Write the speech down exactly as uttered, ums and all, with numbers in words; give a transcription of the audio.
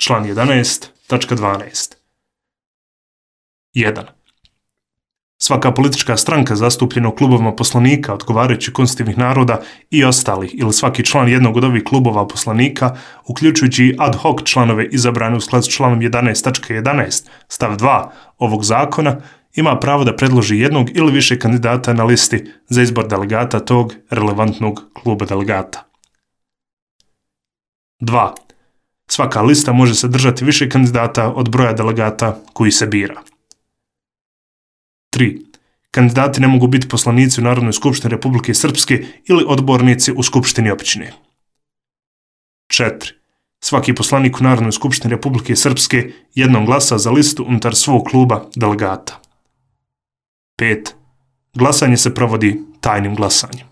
Član jedanaest, tačka dvanaest. jedan. Svaka politička stranka zastupljena u klubovima poslanika odgovarajućih konstitutivnih naroda i ostalih ili svaki član jednog od ovih klubova poslanika, uključujući i ad hoc članove izabrane u skladu s članom jedanaest tačka jedanaest stav dva ovog zakona, ima pravo da predloži jednog ili više kandidata na listi za izbor delegata tog relevantnog kluba delegata. dva. Svaka lista može sadržati više kandidata od broja delegata koji se bira. tri. Kandidati ne mogu biti poslanici u Narodnoj skupštini Republike Srpske ili odbornici u Skupštini općine. četiri. Svaki poslanik u Narodnoj skupštini Republike Srpske jednom glasa za listu unutar svog kluba delegata. pet. Glasanje se provodi tajnim glasanjem.